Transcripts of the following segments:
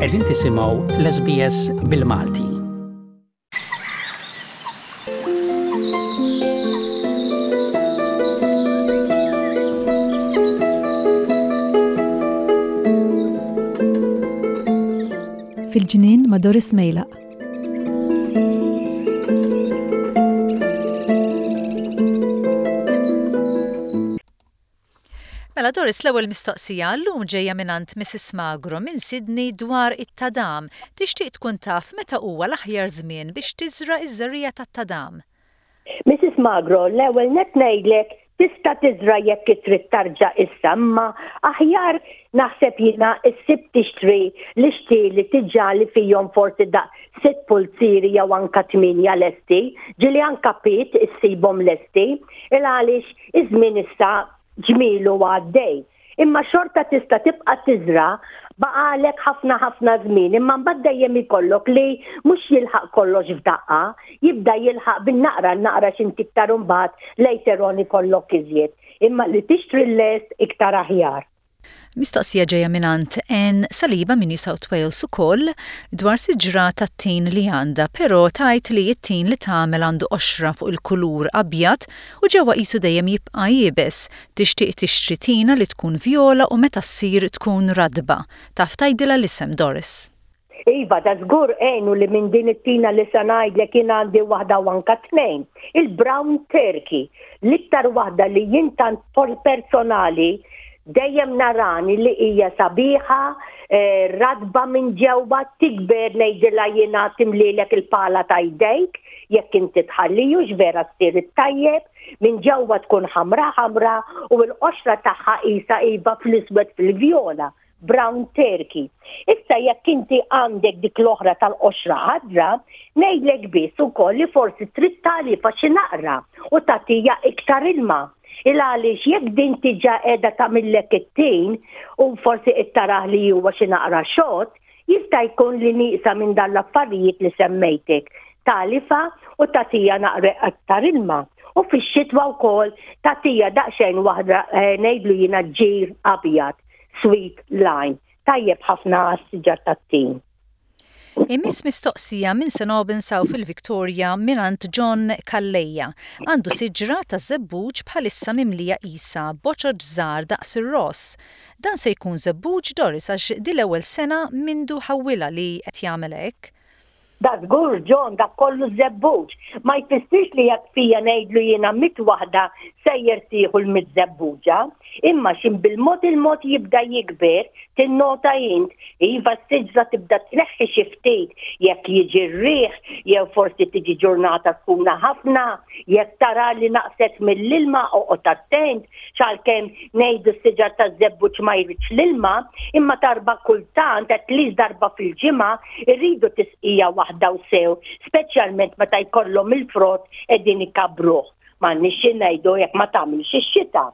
Qegħdin tisimgħu l-SBS bil-Malti. Fil-ġnien ma' Doris Mejlaq. Mela Doris l-ewwel mistoqsija llum ġejja mingħand Mrs Magro minn Sydney dwar it-tadam. Tixtieq tkun taf meta huwa l-aħjar żmien biex tiżra' ż-żerriegħa tat-tadam. Mrs Magro, l-ewwel nett ngħidlek tista' tiżra' jekk trid tarġa' issa imma aħjar naħseb jiena ssib tixtri l-ixtieli diġà li fihom forsi daqs sitt pulzieri jew anka tmienja lesti, ġieli anka piet issibhom lesti, il għaliex Iż-żmien issa ġmielu għaddej. Imma xorta tista' tibqa' tiżra' baqagħlek ħafna ħafna żmien imma mbagħad dejjem ikollok li mhux jilħaq kollox f'daqqa, jibda jilħaq bin-naqra n-naqra x'inti iktar imbagħad later on ikollok iżjed. Imma li tixtri l-lest iktar aħjar. Mistoqsija ġejja mingħand Ann Saliba minn New South Wales ukoll dwar siġra tat-tin li għandha, però tgħid li t-tin li tagħmel għandu qoxra fuq il-kulur abjad u ġewwa qisu dejjem jibqa' iebes. Tixtieq tixtri tina li tkun vjola u meta ssir tkun ratba. Taf tgħidilha l-isem, Doris? Iva, da żgur għenu li minn din it-tina li se ngħidlek jien għandi waħda u anka tnejn. Il-brown turkey, l-iktar waħda li jien tant personali dejjem narani li hija sabiħa, eh, ratba minn ġewwa, tikber ngħidilha jiena timlilek il-pala ta' jdejk, jekk inti tħalliju vera ssir it-tajjeb, minn ġewwa tkun ħamra ħamra u l-qoxra tagħha qisha iva fl-iswed fil-vjola. brown turkey. Issa jekk inti għandek dik l-oħra tal-qoxra ħadra, ngħidlek biss ukoll li forsi trid tagħlifha xi naqra u tagħtiha iktar ilma. Il għaliex jekk din diġà qiegħda tagħmillek it-tin u forsi qed tarah li huwa xi naqra xott, jista' jkun li nieqsa minn dan l-affarijiet li semmejtek. Tagħlifha u tagħtiha naqra iktar ilma. U fix-xitwa wkoll tagħtiha daqsxejn waħda eh, ngħidlu jiena ġir abjad. Sweet lime, tajjeb ħafna għas-siġar tat-tin. Imiss mistoqsija minn St Albans hawn fil-Victoria mingħand John Calleja. Għandu siġra taż-żebbuġ bħalissa mimlija qisha boċoċ żgħar daqs ir-ross. Dan se jkun żebbuġ Doris għax di l-ewwel sena mindu ħawwilha li qed jagħmel hekk. Da żgur, John, dak kollu żebbuġ. Ma jfissirx li jekk fija ngħidlu jiena mitt waħda sejjer tieħu l-mitt żebbuġa. Imma x'in bil-mod il-mod jibda jikber, tinnota int, iva s-siġra tibda tneħħi xi ftit jekk jiġi r-riħ jew forsi tiġi ġurnata sħuna ħafna, jekk tara li naqset mill-ilma oqgħod attent, Għalkemm ngħidu s-siġar taż-żebbuġ ma jridx l-ilma, imma darba kultant, at least darba fil-ġimgħa, irridu tisqija waħda u sew, speċjalment meta jkollhom il-frott qegħdin ikabbruh. M'għandniex xi ngħidu jekk ma tagħmilx ix-xita.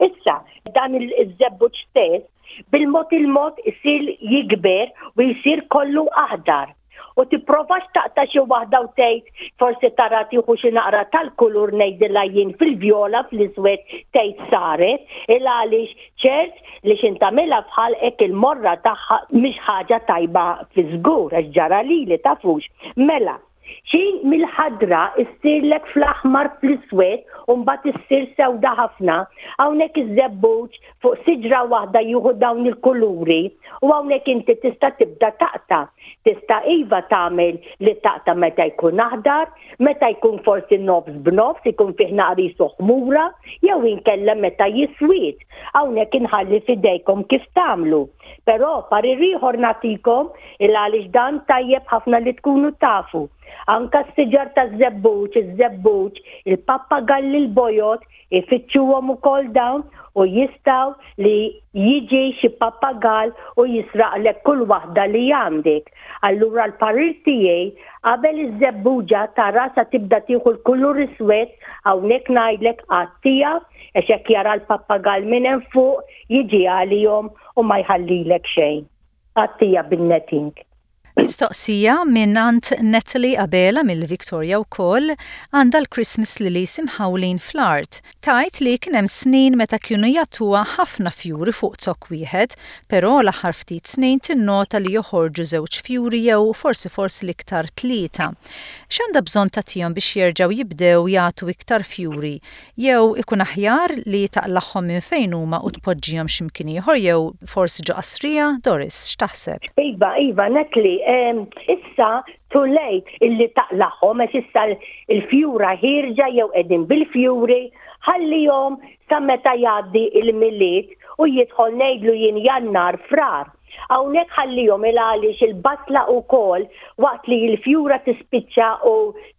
Issa, dan iż-żebbuġ stess, bil-mod il-mod isir jikber u jsir kollu aħdar. U tipprovax taqta' xi waħda u tgħid forsi tara tieħu xi naqra tal-kulur ngħidilha jien fil-vjola fl-iswed tgħid saret il għaliex ċert li x'in tagħmilha f'ħalqek il-morra tagħha mhix ħaġa tajba fi żgur għax ġara lili tafux. Mela, xi mill-ħadra issirlek fl-aħmar fl-iswed u mbagħad issir sewda ħafna, hawnhekk iż-żebbuġ fuq siġra waħda jieħu dawn il-kuluri u hawnhekk inti tista' tibda taqta'. Tista' iva tagħmel li taqta' meta jkun aħdar, meta jkun forsi nofs b'nofs, ikun fih naqra qisu ħmura, jew inkella meta jiswied. Hawnhekk inħalli f'idejkom kif tagħmlu. Però parir ieħor nagħtikom il għaliex dan tajjeb ħafna li tkunu tafu. Anka s-siġar taż-żebbuġ, iż-żebbuġ, il-pappagalli l-bojod, Ifittxuhom ukoll dawn u jistgħu li jiġi xi pappagall u jisraqlek kull waħda li għandek. Allura l-parir tiegħi qabel iż-żebbuġa tara sa tibda tieħu l-kulur iswed hawnhekk ngħidlek għattiha għax hekk jara l-pappagall minn hemm fuq jiġi għalihom u ma jħallilek xejn. Għattiha bin-netting. Mistoqsija mingħand Natalie Abela mill-Victoria wkoll, għandha l-Christmas lilies imħawlin fl-art. Tgħid li kien hemm snin meta kienu jagħtuha ħafna fjuri fuq zokk wieħed, però l-aħħar ftit snin tinnota li joħorġu żewġ fjuri jew forsi forsi l-iktar tlieta. X'għandha bżonn tagħtihom biex jerġgħu jibdew jagħtu iktar fjuri? Jew ikun aħjar li taqlagħhom minn fejn huma u tpoġġihom xi mkien ieħor jew forsi ġo qasrija? Doris, x'taħseb? Iva, iva, Natalie, issa too late illi taqlagħhom għax issa l-fjura ħierġa jew qegħdin bil-fjuri, ħallihom sa meta jgħaddi l-Milied u jidħol ngħidlu jien Jannar, Frar. Hawnhekk ħallihom il għaliex il-basla wkoll waqt li l-fjura tispiċċa u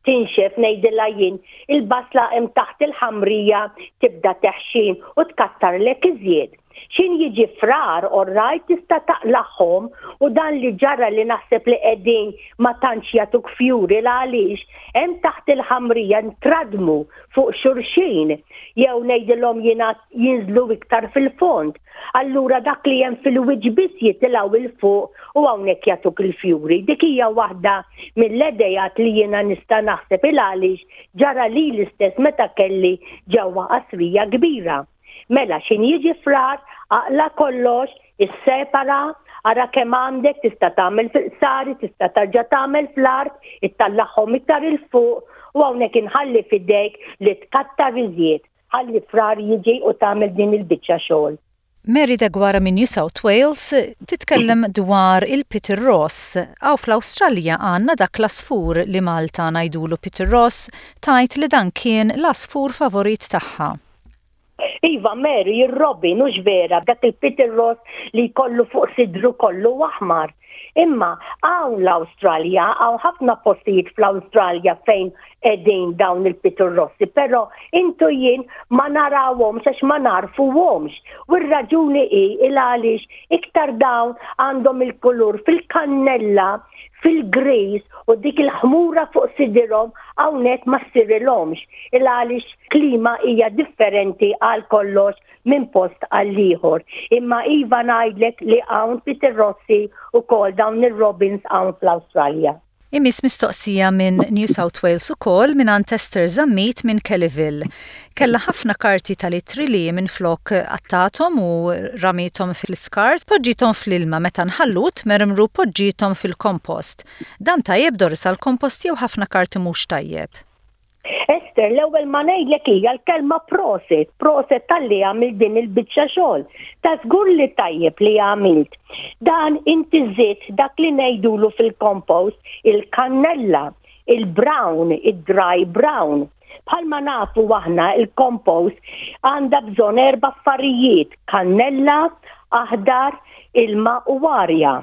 tinxef ngħidilha jien, il-basla hemm taħt il-ħamrija tibda teħxin u tkattarlek iżjed. X'in jiġi frar orrajt tista' taqlagħhom u dan li ġara li naħseb li qegħdin ma tantx jagħtuk fjuri l għaliex hemm taħt il-ħamrija ntradmu fuq xulxin jew ngħidilhom jiena jinżlu iktar fil-fond. Allura dak li hemm fil-wiċċ biss jitilgħu 'il fuq u hawnhekk jagħtuk il-fjuri. Dik hija waħda mill-idejat li jiena nista' naħseb il għaliex ġara lili stess meta kelli ġewwa qasrija kbira. Mela x'in jiġi frar, aqla' kollox, issepara, ara kemm għandek, tista' tagħmel fil-qsari, tista' tarġa' tagħmel fl-art, ittallagħhom iktar 'il fuq u hawnhekk inħalli f'idejk li tkattar iżjed. Ħalli Frar jiġi u tagħmel din il-biċċa xogħol. Mary Deguara minn New South Wales titkellem dwar il-Peter Ross. Hawn fl-Awstralja għandna dak l-għasfur li Malta ngħidulu Peter Ross, tgħid li dan kien l-għasfur favorit tagħha. Iva Mary, ir-robin hux vera, dak il-Peter Ross li jkollu fuq sidru kollu aħmar. Imma hawn l-Awstralja, hawn ħafna postijiet fl-Awstralja fejn qegħdin dawn il-piturrossi, però intu jien ma narawhomx għax ma narfuhomx. U r-raġuni hi il għaliex iktar dawn għandhom il-kulur fil-kannella, fil-griż u dik il-ħmura fuq sidirhom hawnhekk ma ssirilhomx. Il għaliex klima hija differenti għal kollox minn post għall-ieħor. Imma iva ngħidlek li hawn Peter Rossi ukoll dawn ir-robins hawn fl-Awstralja. Imiss mistoqsija minn New South Wales ukoll mingħand Esther Zammit minn Kellyville. Kellha ħafna karti tal-ittri li minflok qattgħathom u ramiethom fl-iskart, poġġiethom fl-ilma meta nħallu u tmermru poġġiethom fil-kompost. Dan tajjeb Doris għall-kompost jew ħafna karti mhux tajjeb? Esther, l-ewwel ma ngħidlek hija l-kelma proset, proset talli għamilt din il-biċċa xogħol. Ta' żgur li tajjeb li għamilt. Dan inti żidt dak li ngħidulu fil-compost il-kannella, il-brown, id-dry brown. Bħalma nafu aħna il-compost għandha bżonn erba' affarijiet, kannella, aħdar, ilma u arja.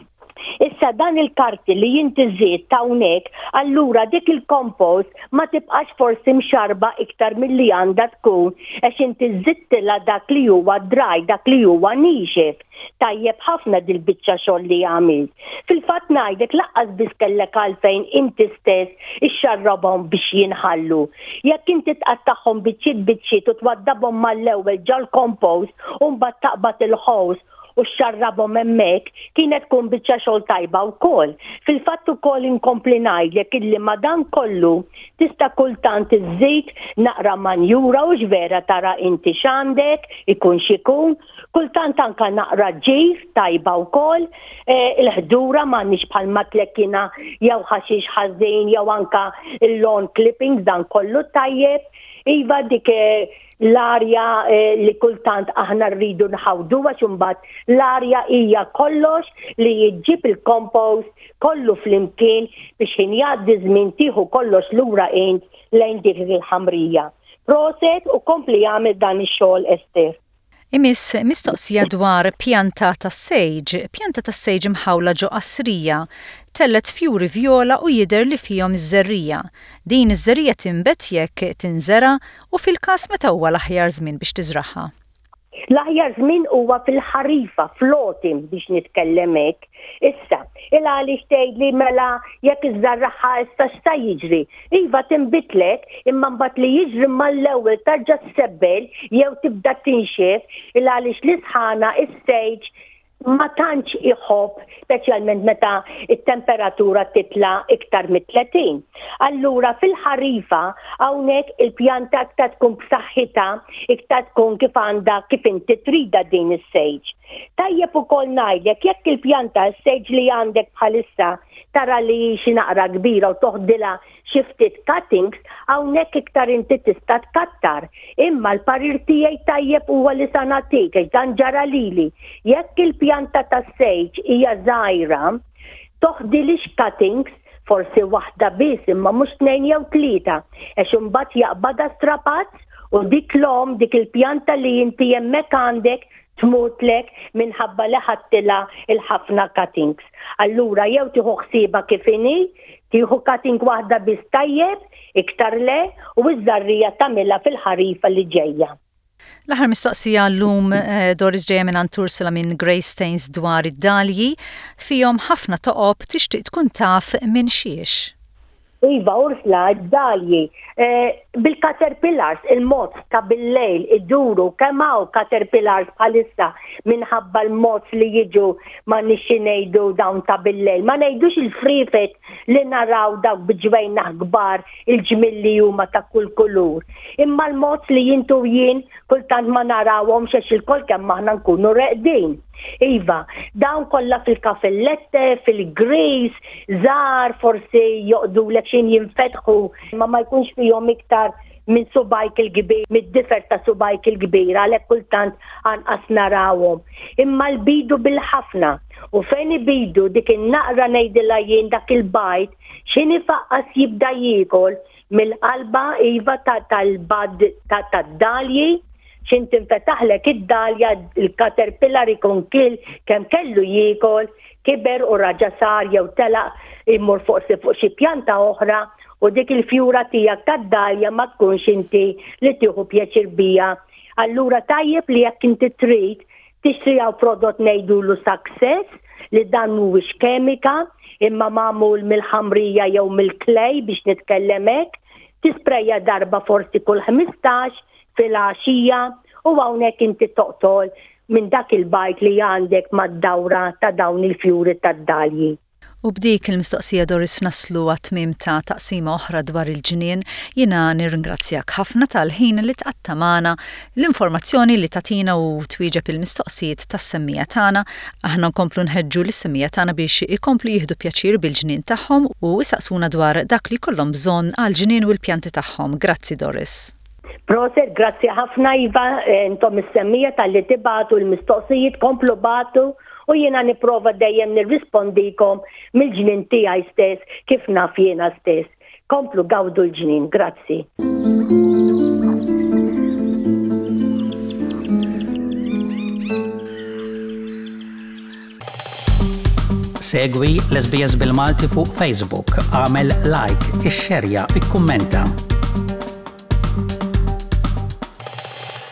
Issa dan il-karti li inti żidt hawnhekk, allura dik il-compost ma tibqax forsi mxarrba iktar milli għandha tkun għax inti żidtilha dak li huwa dry, dak li huwa niexef. Tajjeb ħafna dil-biċċa xogħol li għamilt. Fil-fatt ngħidlek laqqas biss kellek għalfejn inti stess ixxarrabhom biex jinħallu. Jekk inti tqattagħhom biċċiet biċċiet u twaddabhom mal-ewwel ġol-compost u mbagħad taqbad il-ħows u xxarrabhom hemmhekk, kienet tkun biċċa xogħol tajba wkoll. Fil-fatt ukoll inkompli ngħidlek illi ma' dan kollu tista' kultant iżżid naqra manjura hux vera tara inti x'għandek, ikun x'ikun, kultant anka naqra ġir tajba wkoll, il-ħdura m'għandniex bħalma tlekkina jew ħaxix ħażin jew anka l-lawn clippings dan kollu tajjeb. Iva dik l-arja li kultant aħna rridu nħawdu għax imbagħad l-arja hija kollox li ġġib il-compost kollu flimkien biex ħin jgħaddi żmien tieħu kollox lura int lejn dik il-ħamrija. Proset u kompli agħmel dan ix-xogħol Esther. Imiss mistoqsija dwar pjanta tas-sage. Pjanta tas-sage imħawla ġo qasrija. Tellgħet fjuri vjola u jidher li fihom iż-żerriegħa. Din iż-żerriegħa tinbet jekk tinżera' u fil-każ meta huwa l-aħjar żmien biex tiżragħha? L-aħjar żmien huwa fil-ħarifa, fl-autumn biex nitkellem hekk. Issa, il għaliex tgħidli mela jekk iżżarragħha issa x'sa jiġri? Iva tinbitlek, imma mbagħad li jiġri mal-ewwel tarġa' ssebbel jew tibda tinxef il għaliex l-isħana, is-sage. ma tantx iħobb speċjalment meta t-temperatura titla' iktar mit-30. Allura fil-ħarifa hawnhekk il-pjanta iktar tkun b'saħħitha, iktar tkun kif għandha kif inti tridha din is-sage. Tajjeb ukoll ngħidlek jekk il-pjanta s-sage li għandek bħalissa tara li hi xi naqra kbira u toħdilha xi ftit cuttings, hawnhekk iktar inti tista' tkattar. Imma l-parir tiegħi tajjeb huwa li sa nagħtik għax dan ġara lili. Jekk il-pjanta tas-sage hija żgħira, toħdilhiex cuttings, forsi waħda biss imma mhux tnejn jew tlieta, għax imbagħad jaqbadha strapazz u dik l-omm, dik il-pjanta li inti hemmhekk għandek tmutlek minħabba li ħadtilha l-ħafna cuttings. Allura jew tieħu ħsiebha kif inhi, tieħu cutting waħda biss tajjeb, iktar le, u ż-żarrija tagħmilha fil-ħarifa li ġejja. L-aħħar mistoqsija llum eh, Doris ġejja minn Ursula minn Greystanes dwar id-dalji fihom ħafna toqob tixtieq tkun taf minn xiex. Iva, Ursula, id-dalji. Eh, bil-caterpillars, il-moths ta' bil-lejl iduru, kemm hawn caterpillars bħalissa minħabba l-moths li jiġu ma nixxi ngħidu dawn ta' bil-lejl. Ma ngħidux il-frifet li naraw dawk bi ġwejnaħ kbar il-ġmiel li huma ta' kull kulur. Imma l-moths li intu jien kultant ma narawhomx għax ilkoll kemm aħna nkunu reqdin. Iva, dawn kollha fil-kafellette, fil-grease, żgħar, forsi joqdulek x'in jinfetħu, imma ma jkunx fihom iktar minn subgħajk il-kbir, mid-difer ta' subgħajk il-kbir, għalhekk kultant anqas narawhom. Imma l-bidu bil-ħafna, u fejn ibidu dik in-naqra ngħidilha jien dak il-bajd, x'in ifaqqas jibda jiekol mill-qalba iva tal-bad tad-dalji, X'int tinfetaħlek id-dalja, il-caterpillar ikun kiel kemm kellu jiekol, kiber u raġa' sar jew telaq imur forsi fuq xi pjanta oħra u dik il-fjura tiegħek tad-dalja ma tkunx inti li tieħu pjaċir biha. Allura tajjeb li jekk inti trid tixtri hawn prodott ngħidulu Success li dan mhuwiex kemika imma magħmul mill-ħamrija jew mill-clay biex nitkellem hekk, tisprejja darba forsi kull 15 filgħaxija u hawnhekk inti toqtol minn dak il-bajd li għandek mad-dawra ta' dawn il-fjuri tad-dalji. U b'dik il-mistoqsija Doris naslu għat-tmiem ta' taqsima oħra dwar il-ġnien. Jiena nirringrazzjak ħafna tal-ħin li tqatta' magħna, l-informazzjoni li tagħtina u twieġeb il-mistoqsijiet tas-semmiegħa tagħna. Aħna nkomplu nħeġġu lis-semmiegħa tagħna biex ikomplu jieħdu pjaċir bil-ġnien tagħhom u jsaqsuna dwar dak li jkollhom bżonn għall-ġnien u l-pjanti tagħhom. Grazzi Doris. Proset, grazzi ħafna Iva, intom is-semmiegħa talli tibagħtu l-mistoqsijiet, komplu bagħtu u jiena nipprova dejjem nirrispondikom mill-ġnien tiegħi stess kif naf jiena stess. Komplu gawdu l-ġnien, grazzi. Segwi l-SBS bil-Malti fuq Facebook, għamel like, ixxerja, ikkummenta.